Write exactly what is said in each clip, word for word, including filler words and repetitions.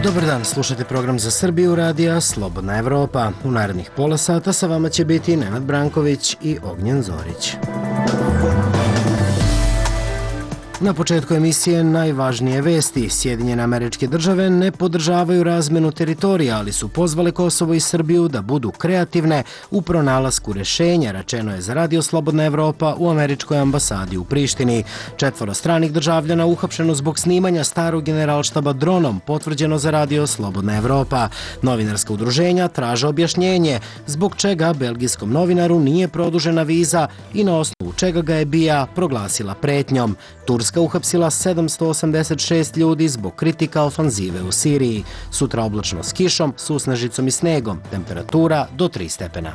Dobar dan, slušate program za Srbiju radija Slobodna Evropa. U narednih pola sata sa vama će biti Nenad Branković i Ognjen Zorić. Na početku emisije najvažnije vesti. Sjedinjene Američke Države ne podržavaju razmenu teritorija, ali su pozvale Kosovo i Srbiju da budu kreativne u pronalasku rešenja, rečeno je za Radio Slobodna Evropa u Američkoj ambasadi u Prištini. Četvoro stranih državljana uhapšeno zbog snimanja starog generalštaba dronom, potvrđeno za Radio Slobodna Evropa. Novinarska udruženja traže objašnjenje zbog čega belgijskom novinaru nije produžena viza i na osnovu čega ga je B I A proglasila pretnjom. Turska uhapsila sedamsto osamdeset šest ljudi zbog kritika ofanzive u Siriji. Sutra oblačno s kišom, susnežicom i snegom. Temperatura do tri stepena.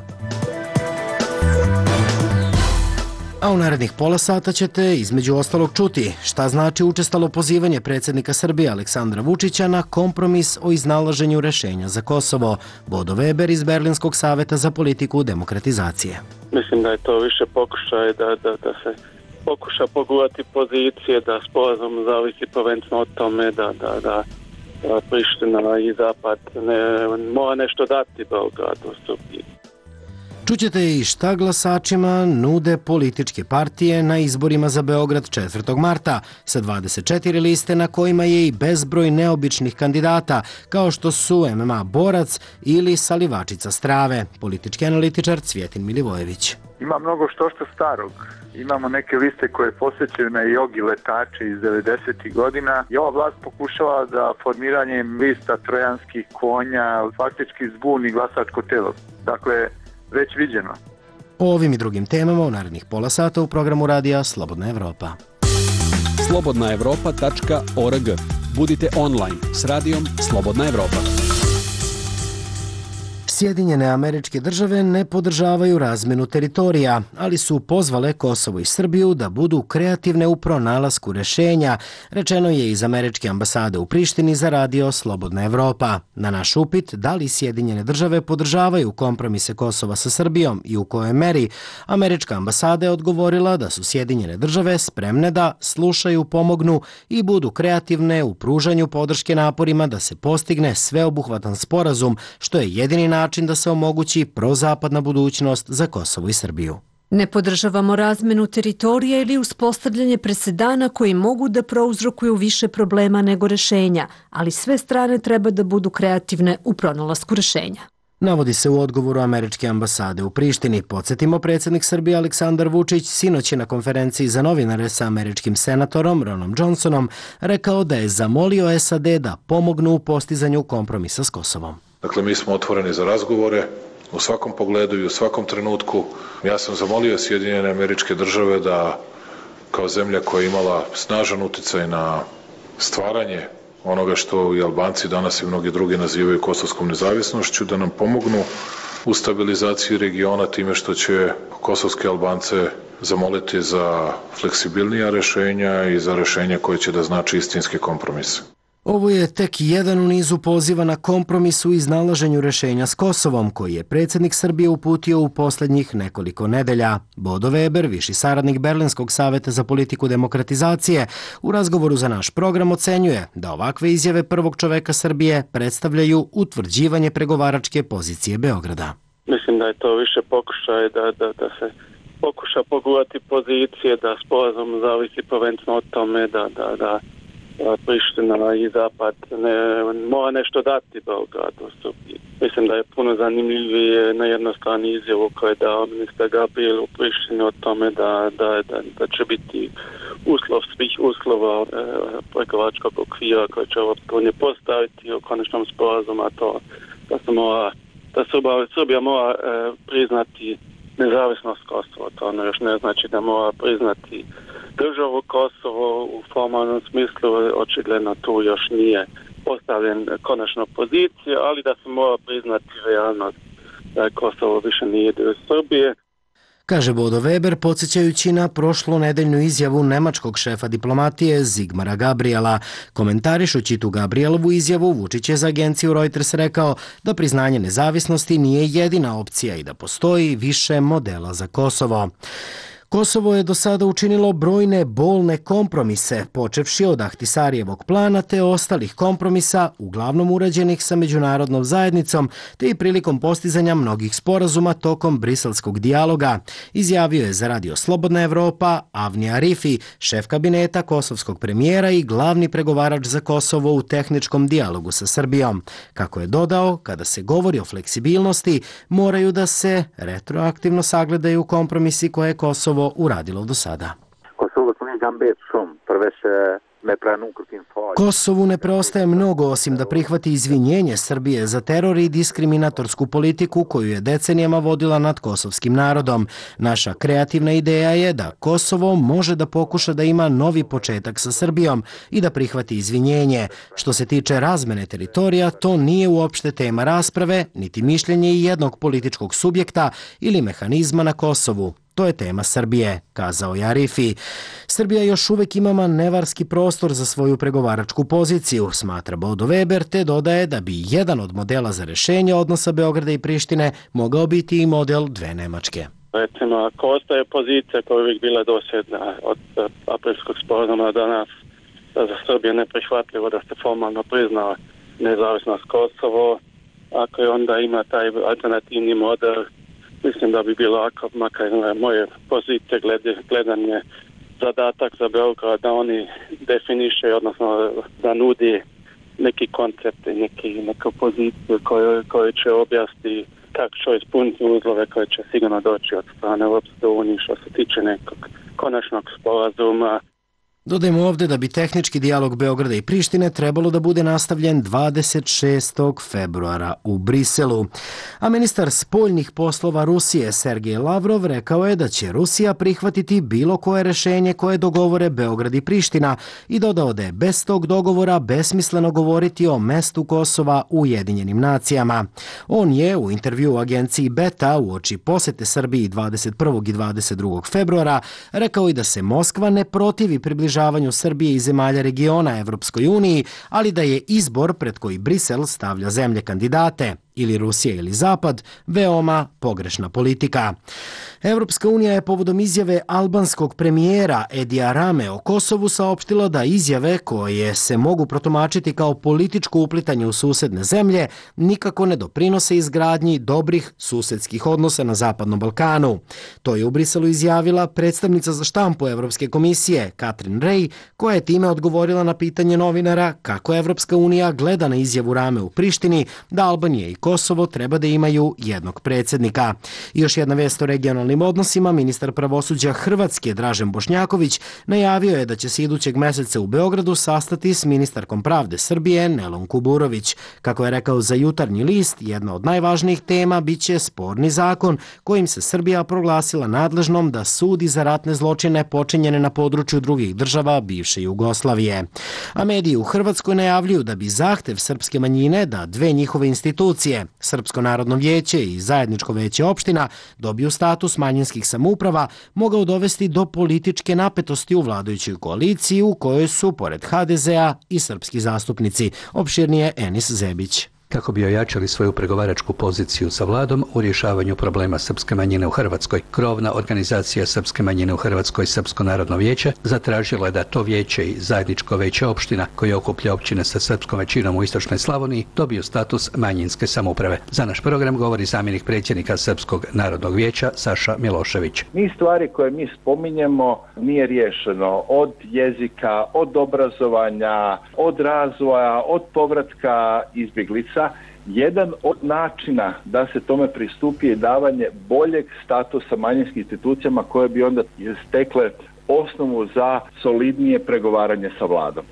A u narednih pola sata ćete između ostalog čuti šta znači učestalo pozivanje predsjednika Srbije Aleksandra Vučića na kompromis o iznalaženju rešenja za Kosovo. Bodo Weber iz Berlinskog saveta za politiku demokratizacije. Mislim da je to više pokušaj da, da, da se pokuša pogurati pozicije, da sporazum zavisi prvenstveno od tome da, da, da Priština i Zapad ne, mora nešto dati Beogradu, Srbiji. Čućete i šta glasačima nude političke partije na izborima za Beograd četvrtog marta sa dvadeset četiri liste na kojima je i bezbroj neobičnih kandidata kao što su M M A borac ili salivačica strave. Politički analitičar Cvjetin Milivojević. Ima mnogo što što starog. Imamo neke liste koje posjećaju na jogi letače iz devedesetih godina i ova vlast pokušava da formiranjem lista trojanskih konja faktički zbuni glasačko telo. Dakle, već viđeno. O ovim i drugim temama u narednih pola sata u programu radija Slobodna Evropa. slobodna evropa tačka org. Budite online s radijom Slobodna Evropa. Sjedinjene Američke Države ne podržavaju razmenu teritorija, ali su pozvale Kosovo i Srbiju da budu kreativne u pronalasku rešenja, rečeno je iz Američke ambasade u Prištini za Radio Slobodna Evropa. Na naš upit da li Sjedinjene Države podržavaju kompromise Kosova sa Srbijom i u kojoj meri, Američka ambasada je odgovorila da su Sjedinjene Države spremne da slušaju, pomognu i budu kreativne u pružanju podrške naporima da se postigne sveobuhvatan sporazum, što je jedini način način da se omogući prozapadna budućnost za Kosovo i Srbiju. Ne podržavamo razmenu teritorija ili uspostavljanje presedana koji mogu da prouzrokuju više problema nego rešenja, ali sve strane treba da budu kreativne u pronalasku rešenja. Navodi se u odgovoru Američke ambasade u Prištini. Podsjetimo, predsjednik Srbije Aleksandar Vučić sinoć je na konferenciji za novinare sa američkim senatorom Ronom Johnsonom rekao da je zamolio S A D da pomognu u postizanju kompromisa s Kosovom. Dakle, mi smo otvoreni za razgovore u svakom pogledu i u svakom trenutku. Ja sam zamolio Sjedinjene Američke Države da kao zemlja koja je imala snažan uticaj na stvaranje onoga što i Albanci danas i mnogi drugi nazivaju kosovskom nezavisnošću, da nam pomognu u stabilizaciji regiona time što će kosovske Albance zamoliti za fleksibilnija rešenja i za rešenja koje će da znači istinske kompromise. Ovo je tek jedan u nizu poziva na kompromis u iznalaženju rešenja s Kosovom, koji je predsjednik Srbije uputio u posljednjih nekoliko nedelja. Bodo Weber, viši saradnik Berlinskog saveta za politiku demokratizacije, u razgovoru za naš program ocenjuje da ovakve izjave prvog čoveka Srbije predstavljaju utvrđivanje pregovaračke pozicije Beograda. Mislim da je to više pokušaj da, da, da se pokuša pogurati pozicije, da sporazum zavisi prvenstveno od tome da, da, da Priština i Zapad ne, mora nešto dati Beogradu, Srbiji. Mislim da je puno zanimljivije na jednostrani izjavu koje je dao ministar Gabriel u Prištini o tome da, da, da, da će biti uslov svih uslova e, pregovaračkog okvira koje će Evropska unija postaviti u konačnom sporazumu, a to da se mora, da Srbija mora e, priznati nezavisnost Kosova. To ono još ne znači da mora priznati državu Kosovo u formalnom smislu, očigledno tu još nije postavljen konačna pozicija, ali da se mora priznati realnost da Kosovo više nije dio Srbije. Kaže Bodo Weber, podsjećajući na prošlu nedeljnu izjavu nemačkog šefa diplomatije Zigmara Gabriela. Komentarišući tu Gabrielovu izjavu, Vučić je za agenciju Reuters rekao da priznanje nezavisnosti nije jedina opcija i da postoji više modela za Kosovo. Kosovo je do sada učinilo brojne bolne kompromise, počevši od Ahtisarijevog plana te ostalih kompromisa, uglavnom urađenih sa međunarodnom zajednicom, te i prilikom postizanja mnogih sporazuma tokom briselskog dijaloga, izjavio je za Radio Slobodna Evropa Avni Arifi, šef kabineta kosovskog premijera i glavni pregovarač za Kosovo u tehničkom dijalogu sa Srbijom. Kako je dodao, kada se govori o fleksibilnosti, moraju da se retroaktivno sagledaju kompromisi koje je Kosovo uradilo do sada. Kosovu ne preostaje mnogo osim da prihvati izvinjenje Srbije za teror i diskriminatorsku politiku koju je decenijama vodila nad kosovskim narodom. Naša kreativna ideja je da Kosovo može da pokuša da ima novi početak sa Srbijom i da prihvati izvinjenje. Što se tiče razmene teritorija, to nije uopšte tema rasprave, niti mišljenje jednog političkog subjekta ili mehanizma na Kosovu. To je tema Srbije, kazao je Arifi. Srbija još uvek ima manevarski prostor za svoju pregovaračku poziciju, smatra Bodo Weber, te dodaje da bi jedan od modela za rešenje odnosa Beograda i Prištine mogao biti i model dve Nemačke. Recimo, ako ostaje pozicija koja je uvijek bila dosljedna od aprilskog sporazuma danas, da za Srbije neprihvatljivo da se formalno prizna nezavisnost Kosovo, ako je onda ima taj alternativni model, mislim da bi bilo ako, makar moje pozicije glede, gledanje zadatak za Beograd da oni definiše, odnosno da nudi neki koncept, neki, neku poziciju koju, koju će objasniti kako će ispuniti uzlove koje će sigurno doći od strane Europske unije što se tiče nekog konačnog sporazuma. Dodajmo ovdje da bi tehnički dijalog Beograda i Prištine trebalo da bude nastavljen dvadeset šestog februara u Briselu. A ministar spoljnih poslova Rusije Sergej Lavrov rekao je da će Rusija prihvatiti bilo koje rešenje koje dogovore Beograd i Priština i dodao da je bez tog dogovora besmisleno govoriti o mestu Kosova u Ujedinjenim nacijama. On je u intervju u agenciji Beta uoči posete Srbiji dvadeset prvog i dvadeset drugog februara rekao i da se Moskva ne protivi približavanju Srbije i zemalja regiona Evropskoj uniji, ali da je izbor pred koji Brisel stavlja zemlje kandidate, ili Rusija ili Zapad, veoma pogrešna politika. Evropska unija je povodom izjave albanskog premijera Edija Rame o Kosovu saopštila da izjave koje se mogu protumačiti kao političko uplitanje u susedne zemlje nikako ne doprinose izgradnji dobrih susedskih odnosa na Zapadnom Balkanu. To je u Briselu izjavila predstavnica za štampu Evropske komisije Katrin Rej, koja je time odgovorila na pitanje novinara kako Evropska unija gleda na izjavu Rame u Prištini da Albanija i Kosovo treba da imaju jednog predsjednika. I još jedna vest o regionalnim odnosima, ministar pravosuđa Hrvatske Dražen Bošnjaković najavio je da će se idućeg meseca u Beogradu sastati s ministarkom pravde Srbije Nelom Kuburović. Kako je rekao za Jutarnji list, jedna od najvažnijih tema biće sporni zakon kojim se Srbija proglasila nadležnom da sudi za ratne zločine počinjene na području drugih država bivše Jugoslavije. A mediji u Hrvatskoj najavljuju da bi zahtev srpske manjine da dve njihove institucije, Srpsko narodno vijeće i Zajedničko veće opština, dobiju status manjinskih samouprava, mogao dovesti do političke napetosti u vladajućoj koaliciji u kojoj su, pored ha de zea, i srpski zastupnici. Opširnije Enis Zebić. Kako bi ojačali svoju pregovaračku poziciju sa vladom u rješavanju problema srpske manjine u Hrvatskoj, krovna organizacija srpske manjine u Hrvatskoj, Srpsko narodno vijeće, zatražila je da to vijeće i Zajedničko veće opština, koje okuplja općine sa srpskom većinom u istočnoj Slavoniji, dobiju status manjinske samouprave. Za naš program govori zamjenik predsjednika Srpskog narodnog vijeća Saša Milošević. Niz stvari koje mi spominjemo nije riješeno, od jezika, od obrazovanja, od razvoja, od povratka izbjeglica. Jedan od načina da se tome pristupi je davanje boljeg statusa manjinskim institucijama koje bi onda stekle osnovu za solidnije pregovaranje sa vladom.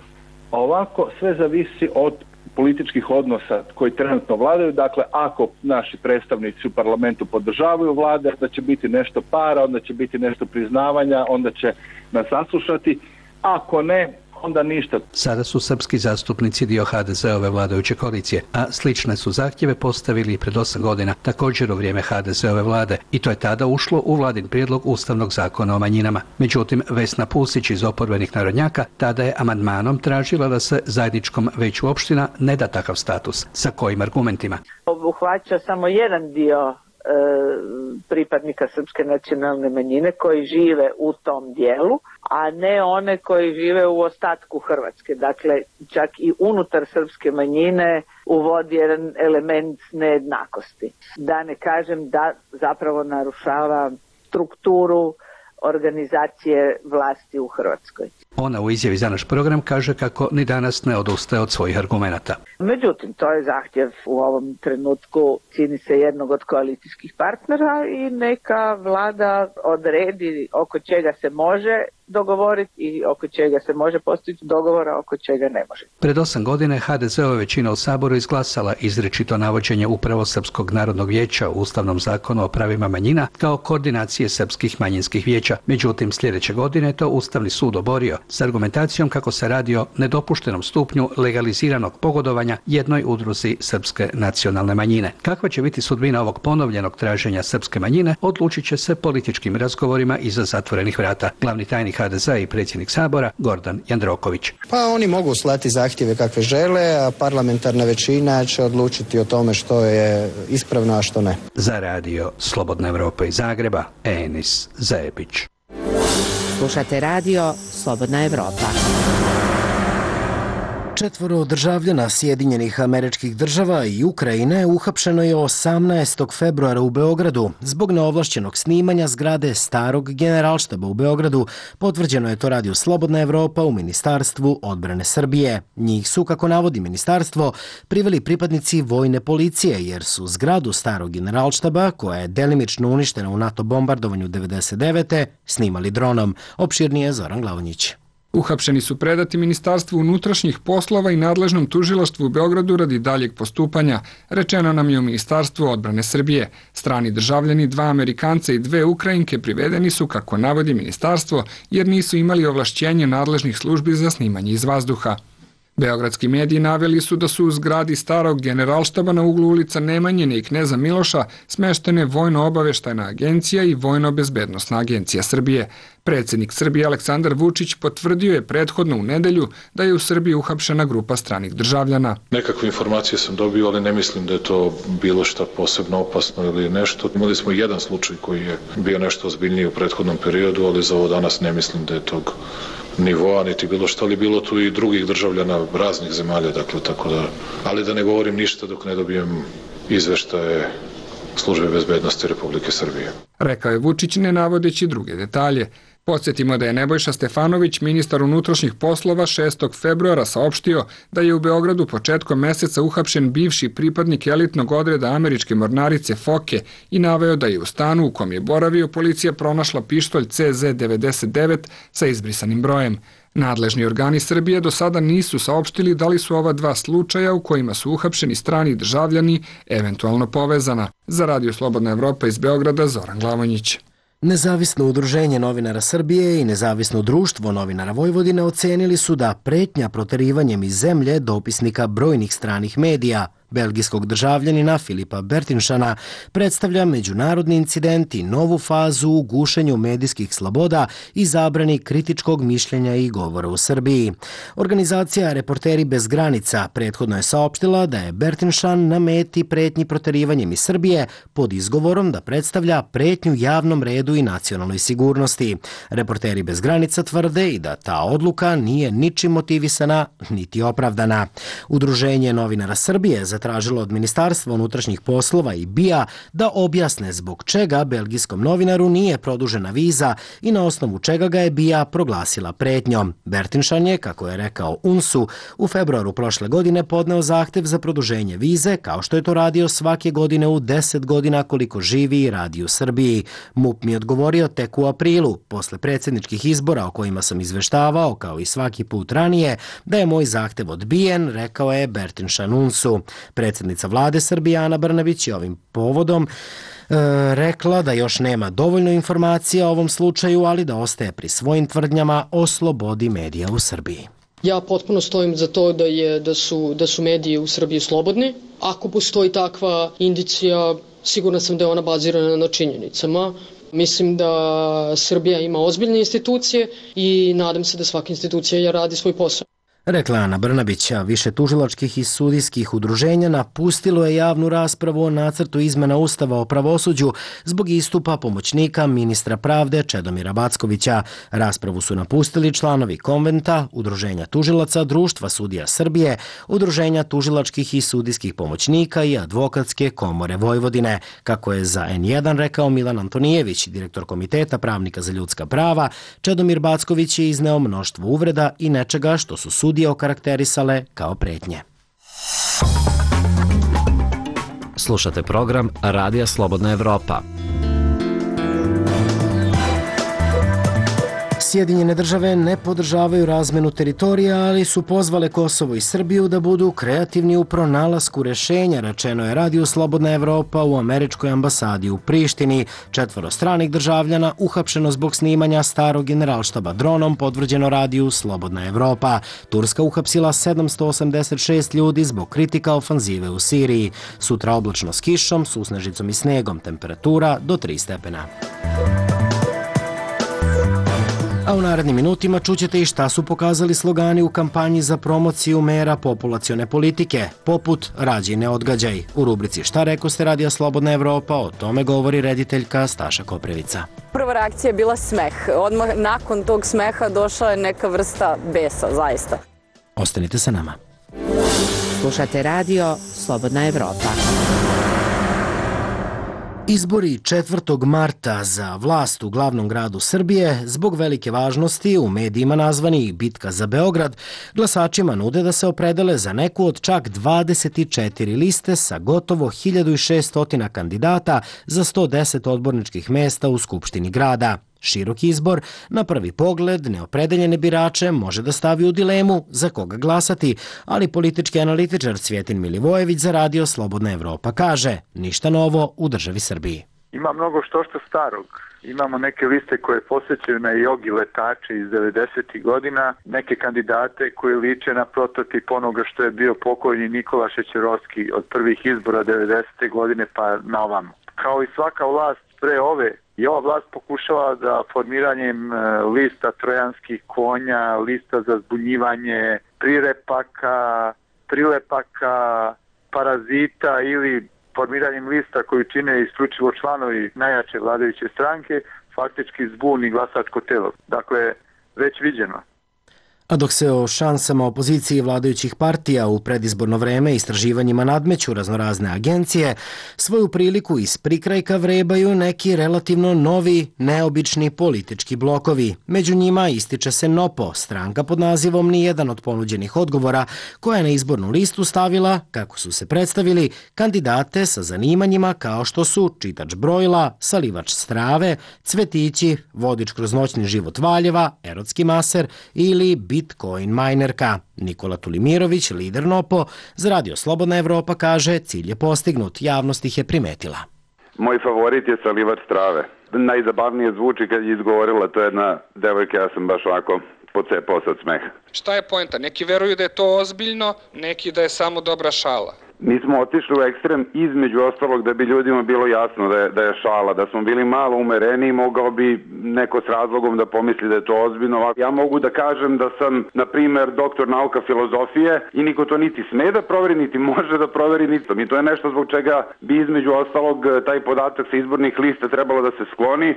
A ovako sve zavisi od političkih odnosa koji trenutno vladaju. Dakle, ako naši predstavnici u parlamentu podržavaju vlade, onda će biti nešto para, onda će biti nešto priznavanja, onda će nas saslušati. Ako ne, onda ništa. Sada su srpski zastupnici dio ha de zeove vladajuće koalicije, a slične su zahtjeve postavili i pred osam godina, također u vrijeme ha de zeove vlade, i to je tada ušlo u vladin prijedlog Ustavnog zakona o manjinama. Međutim, Vesna Pusić iz oporbenih narodnjaka tada je amandmanom tražila da se Zajedničkom veću opština ne da takav status. Sa kojim argumentima? Obuhvaća samo jedan dio pripadnika srpske nacionalne manjine koji žive u tom dijelu, a ne one koji žive u ostatku Hrvatske. Dakle, čak i unutar srpske manjine uvodi jedan element nejednakosti. Da ne kažem da zapravo narušava strukturu organizacije vlasti u Hrvatskoj. Ona u izjavi za naš program kaže kako ni danas ne odustaje od svojih argumenata. Međutim, to je zahtjev u ovom trenutku, čini se, jednog od koalicijskih partnera i neka vlada odredi oko čega se može dogovoriti i oko čega se može postići dogovora, oko čega ne može. Pred osam godine ha de ze-ova većina u Saboru izglasala izričito navođenje upravo Srpskog narodnog vijeća u Ustavnom zakonu o pravima manjina kao koordinacije srpskih manjinskih vijeća. Međutim, sljedeće godine to Ustavni sud oborio s argumentacijom kako se radi o nedopuštenom stupnju legaliziranog pogodovanja jednoj udruzi srpske nacionalne manjine. Kakva će biti sudbina ovog ponovljenog traženja srpske manjine, odlučit će se političkim razgovorima iza zatvorenih vrata. Glavni tajnik ha de ze i predsjednik Sabora Gordan Jandroković. Pa oni mogu slati zahtjeve kakve žele, a parlamentarna većina će odlučiti o tome što je ispravno, a što ne. Za radio Slobodna Evropa iz Zagreba, Enis Zebić. Slušate radio Slobodna Evropa. Četvoro državljana Sjedinjenih Američkih Država i Ukrajine uhapšeno je osamnaestog februara u Beogradu zbog neovlašćenog snimanja zgrade starog generalštaba u Beogradu. Potvrđeno je to radio Slobodna Evropa u Ministarstvu odbrane Srbije. Njih su, kako navodi ministarstvo, priveli pripadnici vojne policije jer su zgradu starog generalštaba, koja je delimično uništena u NATO bombardovanju devedeset devete snimali dronom. Opširnije Zoran Glavonjić. Uhapšeni su predati Ministarstvu unutrašnjih poslova i nadležnom tužilaštvu u Beogradu radi daljeg postupanja, rečeno nam je u Ministarstvu odbrane Srbije. Strani državljani, dva Amerikanca i dve Ukrajinke privedeni su, kako navodi ministarstvo, jer nisu imali ovlašćenje nadležnih službi za snimanje iz vazduha. Beogradski mediji naveli su da su u zgradi starog generalštaba na uglu ulica Nemanjine i Kneza Miloša smeštene Vojno-obaveštajna agencija i Vojno-bezbednosna agencija Srbije. Predsjednik Srbije Aleksandar Vučić potvrdio je prethodno u nedelju da je u Srbiji uhapšena grupa stranih državljana. Nekakve informacije sam dobio, ali ne mislim da je to bilo šta posebno opasno ili nešto. Imali smo jedan slučaj koji je bio nešto ozbiljniji u prethodnom periodu, ali za ovo danas ne mislim da je tog nivoa, niti bilo što, ali bilo tu i drugih državljana raznih zemalja, dakle, tako da, ali da ne govorim ništa dok ne dobijem izveštaje Službe bezbednosti Republike Srbije. Rekao je Vučić, ne navodeći druge detalje. Podsjetimo da je Nebojša Stefanović, ministar unutrašnjih poslova, šestog februara saopštio da je u Beogradu početkom meseca uhapšen bivši pripadnik elitnog odreda američke mornarice Foke i naveo da je u stanu u kom je boravio policija pronašla pištolj ce zet devedeset devet sa izbrisanim brojem. Nadležni organi Srbije do sada nisu saopštili da li su ova dva slučaja u kojima su uhapšeni strani državljani eventualno povezana. Za radio Slobodna Evropa iz Beograda, Zoran Glavonjić. Nezavisno udruženje novinara Srbije i Nezavisno društvo novinara Vojvodine ocenili su da pretnja proterivanjem iz zemlje dopisnika brojnih stranih medija, belgijskog državljanina Filipa Bertinšana, predstavlja međunarodni incident i novu fazu u gušenju medijskih sloboda i zabrani kritičkog mišljenja i govora u Srbiji. Organizacija Reporteri bez granica prethodno je saopštila da je Bertinšan na meti pretnji proterivanjem iz Srbije pod izgovorom da predstavlja pretnju javnom redu i nacionalnoj sigurnosti. Reporteri bez granica tvrde i da ta odluka nije ničim motivisana niti opravdana. Udruženje novinara Srbije zatražilo od Ministarstva unutrašnjih poslova i B I A da objasne zbog čega belgijskom novinaru nije produžena viza i na osnovu čega ga je B I A proglasila pretnjom. Bertinšan je, kako je rekao U N S-u, u februaru prošle godine podneo zahtev za produženje vize, kao što je to radio svake godine u deset godina koliko živi i radi u Srbiji. M U P mi je odgovorio tek u aprilu, posle predsjedničkih izbora o kojima sam izveštavao, kao i svaki put ranije, da je moj zahtev odbijen, rekao je Bertinšan U N S-u. Predsjednica vlade Srbije Ana Brnabić je ovim povodom e, rekla da još nema dovoljno informacija o ovom slučaju, ali da ostaje pri svojim tvrdnjama o slobodi medija u Srbiji. Ja potpuno stojim za to da, je, da, su, da su mediji u Srbiji slobodni. Ako postoji takva indicija, sigurna sam da je ona bazirana na činjenicama. Mislim da Srbija ima ozbiljne institucije i nadam se da svaka institucija radi svoj posao. Rekla Ana Brnabić, a više tužilačkih i sudijskih udruženja napustilo je javnu raspravu o nacrtu izmena Ustava o pravosuđu zbog istupa pomoćnika ministra pravde Čedomira Backovića. Raspravu su napustili članovi Konventa, Udruženja tužilaca, Društva sudija Srbije, Udruženja tužilačkih i sudijskih pomoćnika i Advokatske komore Vojvodine. Kako je za en jedan rekao Milan Antonijević, direktor Komiteta pravnika za ljudska prava, Čedomir Backović je izneo mnoštvo uvreda i nečega što su sudije okarakterisale kao pretnje. Slušate program Radija Slobodna Evropa. Sjedinjene države ne podržavaju razmenu teritorija, ali su pozvale Kosovo i Srbiju da budu kreativni u pronalasku rešenja, rečeno je Radiju Slobodna Evropa u američkoj ambasadi u Prištini. Četvoro stranih državljana uhapšeno zbog snimanja starog generalštaba dronom, potvrđeno Radiju Slobodna Evropa. Turska uhapsila sedamsto osamdeset šest ljudi zbog kritika ofanzive u Siriji. Sutra oblačno s kišom, susnežicom i snegom, temperatura do tri stepena. A u narednim minutima čućete i šta su pokazali slogani u kampanji za promociju mera populacione politike, poput Rađi ne odgađaj. U rubrici Šta rekoste Radija Slobodna Evropa, o tome govori rediteljka Staša Koprevica. Prva reakcija je bila smeh. Odmah nakon tog smeha došla je neka vrsta besa, zaista. Ostanite sa nama. Slušate Radio Slobodna Evropa. Izbori četvrtog marta za vlast u glavnom gradu Srbije, zbog velike važnosti u medijima nazvani Bitka za Beograd, glasačima nude da se opredele za neku od čak dvadeset četiri liste sa gotovo hiljadu šessto kandidata za sto deset odborničkih mesta u Skupštini grada. Širok izbor, na prvi pogled, neopredeljene birače može da stavi u dilemu za koga glasati, ali politički analitičar Cvjetin Milivojević za Radio Slobodna Evropa kaže: ništa novo u državi Srbiji. Ima mnogo što što starog. Imamo neke liste koje posjećaju na jogi letače iz devedesetih godina, neke kandidate koji liče na prototip onoga što je bio pokojni Nikola Šećerovski od prvih izbora devedesete godine pa na ovamo. Kao i svaka vlast pre ove, i ova vlast pokušava da formiranjem lista trojanskih konja, lista za zbunjivanje, prirepaka, prilepaka, parazita ili formiranjem lista koju čine isključivo članovi najjače vladajuće stranke, faktički zbuni glasačko telo. Dakle, već viđeno. A dok se o šansama opozicije vladajućih partija u predizborno vreme istraživanjima nadmeću raznorazne agencije, svoju priliku iz prikrajka vrebaju neki relativno novi, neobični politički blokovi. Među njima ističe se NOPO, stranka pod nazivom Nijedan od ponuđenih odgovora, koja je na izbornu listu stavila, kako su se predstavili, kandidate sa zanimanjima kao što su čitač brojila, salivač strave, cvetići, vodič kroz noćni život Valjeva, erotski maser ili Bitcoin minerka. Nikola Tulimirović, lider NOPO, za Radio Slobodna Evropa kaže: cilj je postignut, javnost ih je primetila. Moj favorit je salivač strave. Najzabavnije zvuči kad je izgovorila, to je jedna devojka, ja sam baš ovako pocepao se od smeha. Šta je poenta? Neki veruju da je to ozbiljno, neki da je samo dobra šala. Mi smo otišli u ekstrem između ostalog da bi ljudima bilo jasno da je, da je šala, da smo bili malo umereni, mogao bi neko s razlogom da pomisli da je to ozbiljno. Ja mogu da kažem da sam, na primer, doktor nauka filozofije i niko to niti sme da proveri, niti može da proveri, niti. I to je nešto zbog čega bi između ostalog taj podatak sa izbornih lista trebalo da se skloni.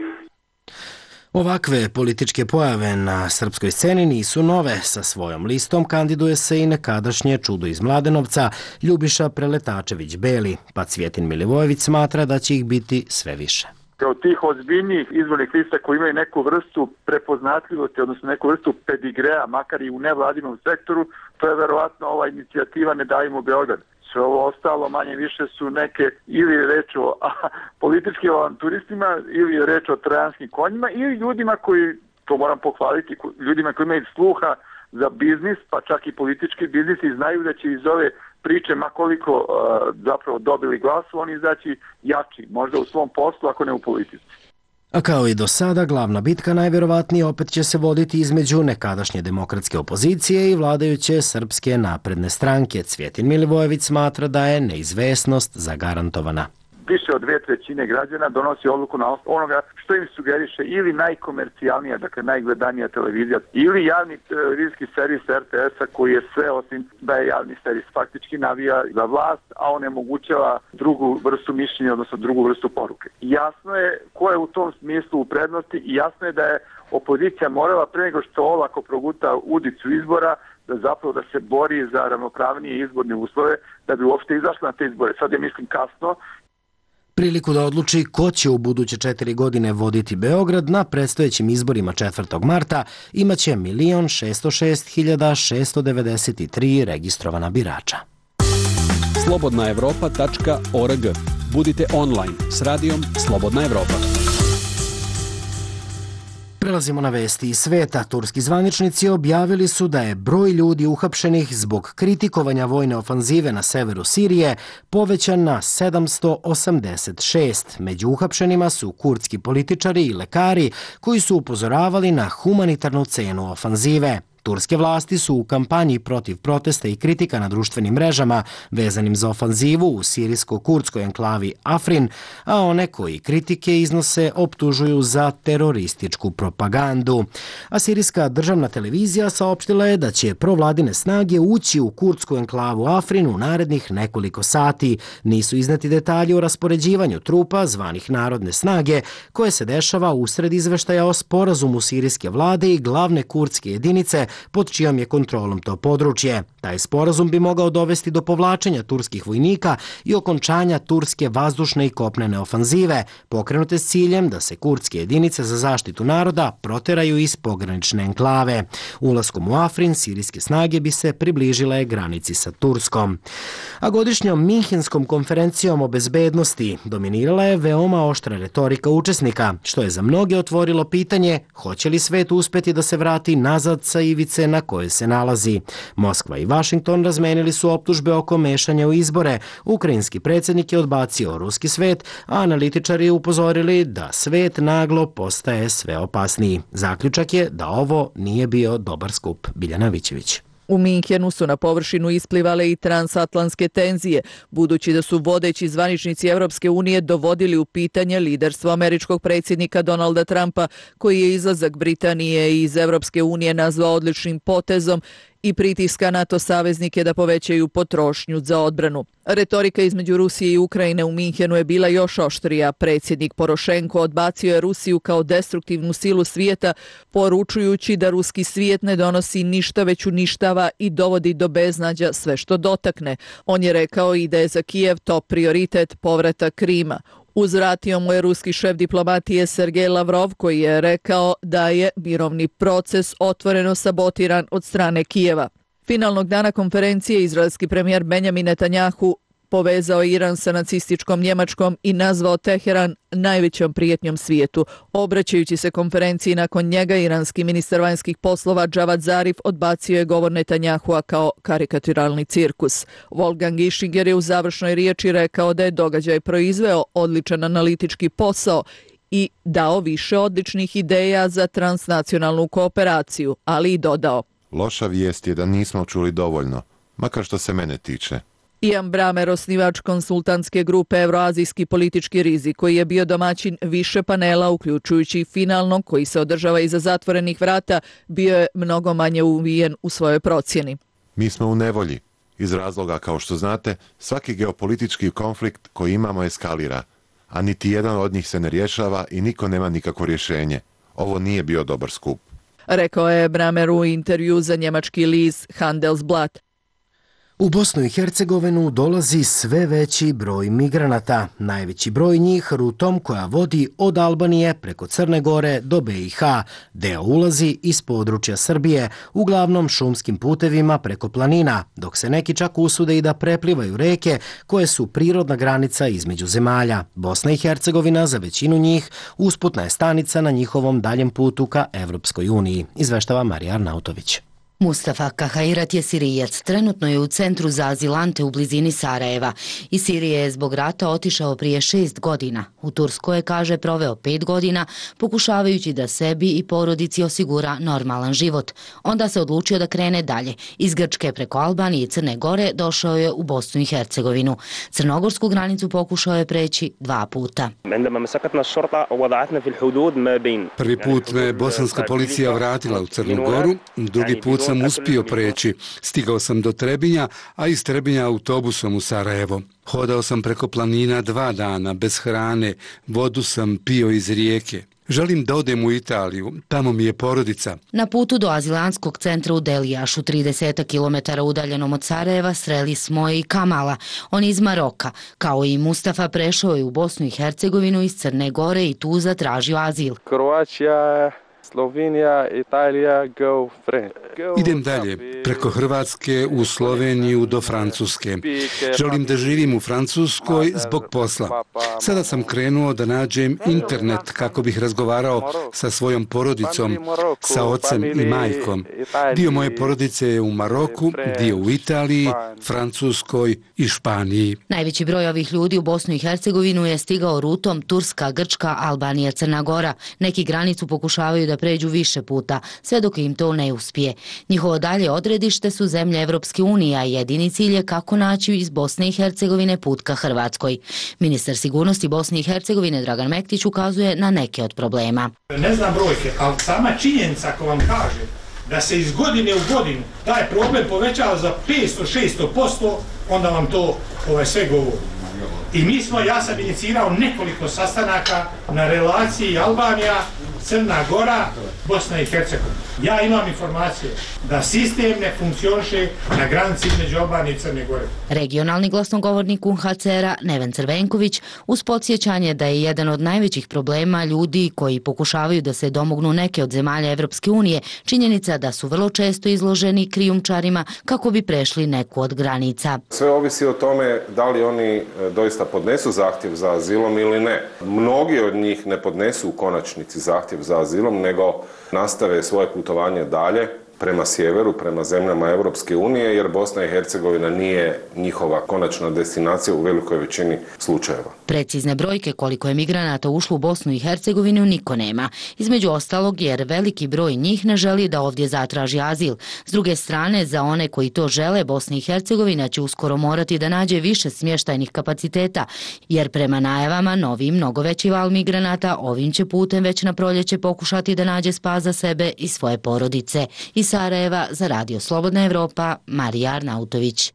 Ovakve političke pojave na srpskoj sceni nisu nove. Sa svojom listom kandiduje se i nekadašnje čudo iz Mladenovca Ljubiša Preletačević-Beli, pa Cvjetin Milivojević smatra da će ih biti sve više. Kao tih ozbiljnijih izbornih lista koji imaju neku vrstu prepoznatljivosti, odnosno neku vrstu pedigrea, makar i u nevladinom sektoru, to je verovatno ova inicijativa Ne davimo Beograd. Sve ovo ostalo manje više su neke, ili je reč o a, političkim avanturistima, ili je reč o trojanskim konjima, ili ljudima koji, to moram pohvaliti, ljudima koji imaju sluha za biznis, pa čak i politički biznis, i znaju da će iz ove priče, makoliko uh, zapravo dobili glasu, oni izaći jači, možda u svom poslu, ako ne u politici. A kao i do sada, glavna bitka najvjerovatnije opet će se voditi između nekadašnje demokratske opozicije i vladajuće Srpske napredne stranke. Cvjetin Milivojević smatra da je neizvesnost zagarantovana. više od dve trećine građana donosi odluku na osnovu onoga što im sugeriše ili najkomercijalnija, dakle najgledanija televizija, ili javni televizijski servis er te es-a koji je sve osim da je javni servis, faktički navija za vlast, a onemogućava drugu vrstu mišljenja, odnosno drugu vrstu poruke. Jasno je ko je u tom smislu u prednosti i jasno je da je opozicija morala pre nego što olako proguta udicu izbora da zapravo da se bori za ravnopravnije izborne uslove da bi uopšte izašla na te izbore. Sad je mislim kasno. Priliku da odluči ko će u buduće četiri godine voditi Beograd na predstojećim izborima četvrtog marta imaće milion šesto šest hiljada šesto devedeset tri registrovana birača. slobodna evropa tačka org. Budite online s radijom Slobodna Evropa. Prelazimo na vesti iz sveta. Turski zvaničnici objavili su da je broj ljudi uhapšenih zbog kritikovanja vojne ofanzive na severu Sirije povećan na sedamsto osamdeset šest. Među uhapšenima su kurdski političari i lekari koji su upozoravali na humanitarnu cenu ofanzive. Turske vlasti su u kampanji protiv protesta i kritika na društvenim mrežama vezanim za ofanzivu u sirijsko-kurdskoj enklavi Afrin, a one koji kritike iznose optužuju za terorističku propagandu. A sirijska državna televizija saopštila je da će provladine snage ući u kurdsku enklavu Afrin u narednih nekoliko sati. Nisu izneti detalji o raspoređivanju trupa zvanih narodne snage koje se dešava usred izveštaja o sporazumu sirijske vlade i glavne kurdske jedinice pod čijom je kontrolom to područje. Taj sporazum bi mogao dovesti do povlačenja turskih vojnika i okončanja turske vazdušne i kopnene ofanzive, pokrenute s ciljem da se kurdske jedinice za zaštitu naroda proteraju iz pogranične enklave. Ulaskom u Afrin, sirijske snage bi se približile granici sa Turskom. A godišnjom Minhenskom konferencijom o bezbednosti dominirala je veoma oštra retorika učesnika, što je za mnoge otvorilo pitanje hoće li svet uspeti da se vrati nazad sa ivice na koje se nalazi. Moskva i Vašington razmenili su optužbe oko mešanja u izbore. Ukrajinski predsjednik je odbacio ruski svet, a analitičari upozorili da svet naglo postaje sve opasniji. Zaključak je da ovo nije bio dobar skup. Biljana Vićević. U Minhenu su na površinu isplivale i transatlantske tenzije, budući da su vodeći zvaničnici Evropske unije dovodili u pitanje liderstvo američkog predsjednika Donalda Trumpa, koji je izlazak Britanije iz Evropske unije nazvao odličnim potezom i pritiska NATO saveznike da povećaju potrošnju za odbranu. Retorika između Rusije i Ukrajine u Minhenu je bila još oštrija. Predsjednik Porošenko odbacio je Rusiju kao destruktivnu silu svijeta, poručujući da ruski svijet ne donosi ništa već uništava i dovodi do beznađa sve što dotakne. On je rekao i da je za Kijev top prioritet povratak Krima. Uzvratio mu je ruski šef diplomatije Sergej Lavrov, koji je rekao da je mirovni proces otvoreno sabotiran od strane Kijeva. Finalnog dana konferencije izraelski premijer Benjamin Netanjahu povezao Iran sa nacističkom Njemačkom i nazvao Teheran najvećom prijetnjom svijetu. Obraćajući se konferenciji nakon njega, iranski ministar vanjskih poslova Džavad Zarif odbacio je govor Netanjahua kao karikaturalni cirkus. Wolfgang Ischinger je u završnoj riječi rekao da je događaj proizveo odličan analitički posao i dao više odličnih ideja za transnacionalnu kooperaciju, ali i dodao: Loša vijest je da nismo čuli dovoljno, makar što se mene tiče. Ian Bramer, osnivač konsultantske grupe Evroazijski politički rizik, koji je bio domaćin više panela, uključujući finalnog koji se održava iza zatvorenih vrata, bio je mnogo manje uvijen u svojoj procjeni. Mi smo u nevolji. Iz razloga, kao što znate, svaki geopolitički konflikt koji imamo eskalira, a niti jedan od njih se ne rješava i niko nema nikakvo rješenje. Ovo nije bio dobar skup. Rekao je Bramer u intervju za njemački list Handelsblatt. U Bosnu i Hercegovinu dolazi sve veći broj migranata. Najveći broj njih rutom koja vodi od Albanije preko Crne Gore do be i ha. Deo ulazi iz područja Srbije, uglavnom šumskim putevima preko planina, dok se neki čak usude i da preplivaju reke koje su prirodna granica između zemalja. Bosna i Hercegovina za većinu njih usputna je stanica na njihovom daljem putu ka Evropskoj uniji, izveštava Marija Arnautović. Mustafa Kahairat je Sirijac, trenutno je u centru za azilante u blizini Sarajeva. Iz Sirije je zbog rata otišao prije šest godina. U Turskoj je, kaže, proveo pet godina pokušavajući da sebi i porodici osigura normalan život. Onda se odlučio da krene dalje. Iz Grčke preko Albanije i Crne Gore došao je u Bosnu i Hercegovinu. Crnogorsku granicu pokušao je preći dva puta. Prvi put me bosanska policija vratila u Crnu Goru, drugi put sam uspio preći. Stigao sam do Trebinja, a iz Trebinja autobusom u Sarajevo. Hodao sam preko planina dva dana, bez hrane, vodu sam pio iz rijeke. Želim da odem u Italiju, tamo mi je porodica. Na putu do azilantskog centra u Delijašu, trideset kilometara udaljenom od Sarajeva, sreli smo i Kamala. On iz Maroka. Kao i Mustafa, prešao je u Bosnu i Hercegovinu iz Crne Gore i tu zatražio azil. Kroacija, Slovenija, Italija, go friend. Idem dalje, preko Hrvatske u Sloveniju do Francuske. Želim da živim u Francuskoj zbog posla. Sada sam krenuo da nađem internet kako bih razgovarao sa svojom porodicom, sa ocem i majkom. Dio moje porodice je u Maroku, dio u Italiji, Francuskoj i Španiji. Najveći broj ovih ljudi u Bosnu i Hercegovinu je stigao rutom Turska, Grčka, Albanija, Crna Gora. Neki granicu pokušavaju da pređu više puta, sve dok im to ne uspije. Njihovo dalje odredište su zemlje Evropske unije, a jedini cilj je kako naći iz Bosne i Hercegovine put ka Hrvatskoj. Ministar sigurnosti Bosne i Hercegovine Dragan Mektić ukazuje na neke od problema. Ne znam brojke, ali sama činjenica ako vam kaže da se iz godine u godinu taj problem povećava za petsto do šesto posto, onda vam to ovaj, sve govori. I mi smo, ja sam inicirao nekoliko sastanaka na relaciji Albanija, Crna Gora, Bosna i Hercegovina. Ja imam informacije da sistem ne funkcioniše na granici između Albanije i Crne Gore. Regionalni glasnogovornik U N H C R-a Neven Crvenković uz podsjećanje da je jedan od najvećih problema ljudi koji pokušavaju da se domognu neke od zemalja Evropske unije činjenica da su vrlo često izloženi krijumčarima kako bi prešli neku od granica. Sve ovisi o tome da li oni doista podnesu zahtjev za azilom ili ne. Mnogi od njih ne podnesu u konačnici zahtjev za azilom, nego nastave svoje putovanje dalje prema sjeveru, prema zemljama Evropske unije, jer Bosna i Hercegovina nije njihova konačna destinacija u velikoj većini slučajeva. Precizne brojke koliko je migranata ušlo u Bosnu i Hercegovinu niko nema. Između ostalog jer veliki broj njih ne želi da ovdje zatraži azil. S druge strane, za one koji to žele, Bosna i Hercegovina će uskoro morati da nađe više smještajnih kapaciteta, jer prema najavama novi mnogo veći val migranata ovim će putem već na proljeće pokušati da nađe spas za sebe i svoje porodice. Iz Sarajeva za Radio Slobodna Evropa, Marija Arnautović.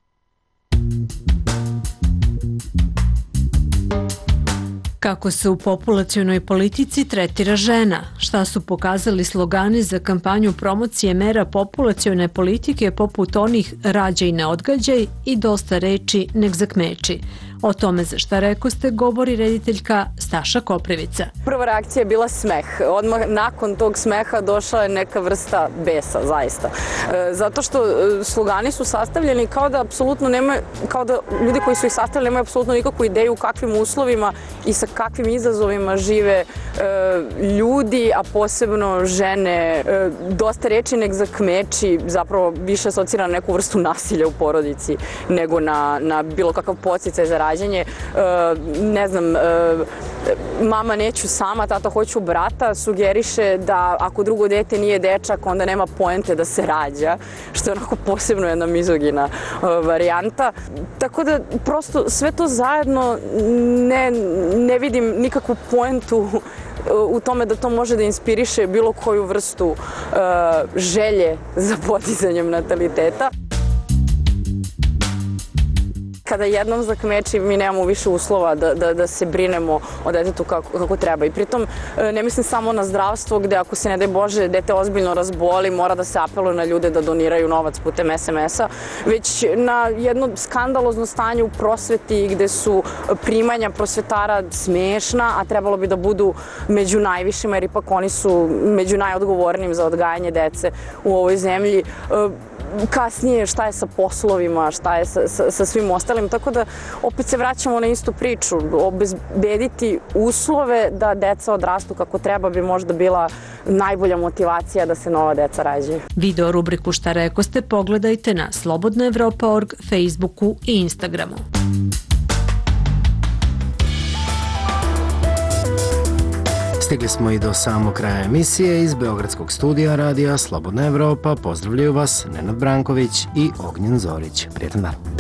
Kako se u populacionoj politici tretira žena? Šta su pokazali slogani za kampanju promocije mera populacione politike poput onih rađaj ne odgađaj i dosta reči nek zakmeči? O tome za šta rekoste govori rediteljka Staša Koprivica. Prva reakcija je bila smeh. Odmah nakon tog smeha došla je neka vrsta besa, zaista. Zato što slogani su sastavljeni kao da apsolutno nema, kao da ljudi koji su ih sastavili nemaju apsolutno nikakvu ideju u kakvim uslovima i sa kakvim izazovima žive ljudi, a posebno žene. Dosta reči nek zakmeči, zapravo više asocira na neku vrstu nasilja u porodici nego na, na bilo kakav podsticaj za rađenje. Ne znam, mama neću sama, tata hoću brata, sugeriše da ako drugo dete nije dečak, onda nema poente da se rađa, što je onako posebno jedna mizogina varijanta. Tako da prosto sve to zajedno ne, ne vidim nikakvu poentu u tome da to može da inspiriše bilo koju vrstu uh, želje za podizanjem nataliteta. Kada jednom zakmeči, mi nemamo više uslova da, da, da se brinemo o detetu kako, kako treba. I pritom ne mislim samo na zdravstvo gde ako se ne daj Bože dete ozbiljno razboli, mora da se apeluje na ljude da doniraju novac putem es em es-a, već na jedno skandalozno stanje u prosveti gde su primanja prosvetara smešna, a trebalo bi da budu među najvišima jer ipak oni su među najodgovornijim za odgajanje dece u ovoj zemlji. Kasnije šta je sa poslovima, šta je sa, sa, sa svim ostalim. ostalim, tako da opet se vraćamo na istu priču. Obezbediti uslove da deca odrastu kako treba bi možda bila najbolja motivacija da se nova deca rađaju. Video rubriku Šta rekoste pogledajte na slobodna evropa tačka org, Facebooku i Instagramu. Stigli smo i do samog kraja emisije. Iz Beogradskog studija radija Slobodna Evropa pozdravljaju vas Nenad Branković i Ognjen Zorić. Prijetan dan.